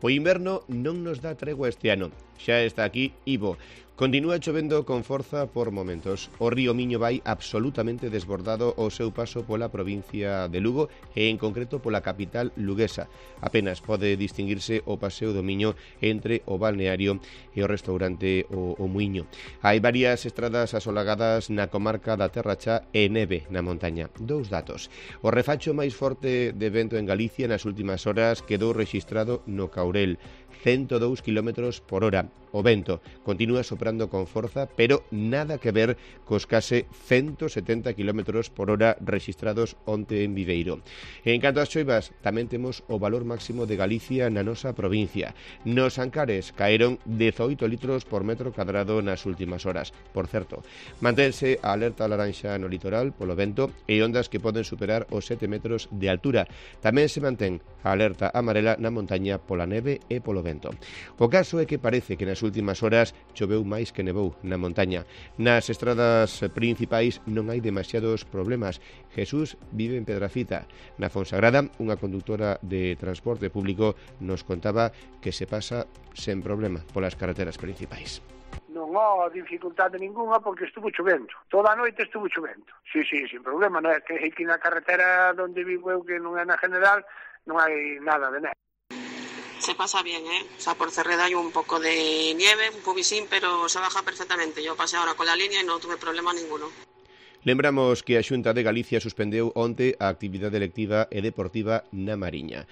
O inverno non nos dá tregua este ano. Xa está aquí Ivo. Continúa chovendo con forza por momentos. O río Miño vai absolutamente desbordado ao seu paso pola provincia de Lugo e en concreto pola capital luguesa. Apenas pode distinguirse o paseo do Miño entre o balneario e o restaurante o Muiño. Hai varias estradas asolagadas na comarca da Terra Chá e neve na montaña. Dous datos. O refacho máis forte de vento en Galicia nas últimas horas quedou rexistrado no Caurel, 102 km por hora. O vento continúa soprando con forza, pero nada que ver cos case 170 km por hora rexistrados onte en Viveiro. En canto ás choivas, tamén temos o valor máximo de Galicia na nosa provincia. Nos Ancares caeron 18 litros por metro cadrado nas últimas horas. Por certo, mantense a alerta laranxa no litoral polo vento e ondas que poden superar os 7 metros de altura. Tamén se mantén a alerta amarela na montaña pola neve e polo vento. O caso é que parece que nas últimas horas choveu máis que nevou na montaña. Nas estradas principais non hai demasiados problemas. Jesús vive en Pedrafita. Na Fonsagrada, unha conductora de transporte público nos contaba que se pasa sen problema polas carreteras principais. Non há dificultade ninguna porque estuvo chovendo. Toda a noite estuvo chovendo. Sí, sin problema. Non é que aquí na carretera onde vivo eu, que non é na general, non hai nada de neve. Se pasa bien, O sea, por Cerreda hay un poco de nieve, un pubisín, pero se baja perfectamente. Yo pasé ahora con la línea y no tuve problema ninguno. Lembramos que a Xunta de Galicia suspendeu onte a actividade lectiva e deportiva na Mariña.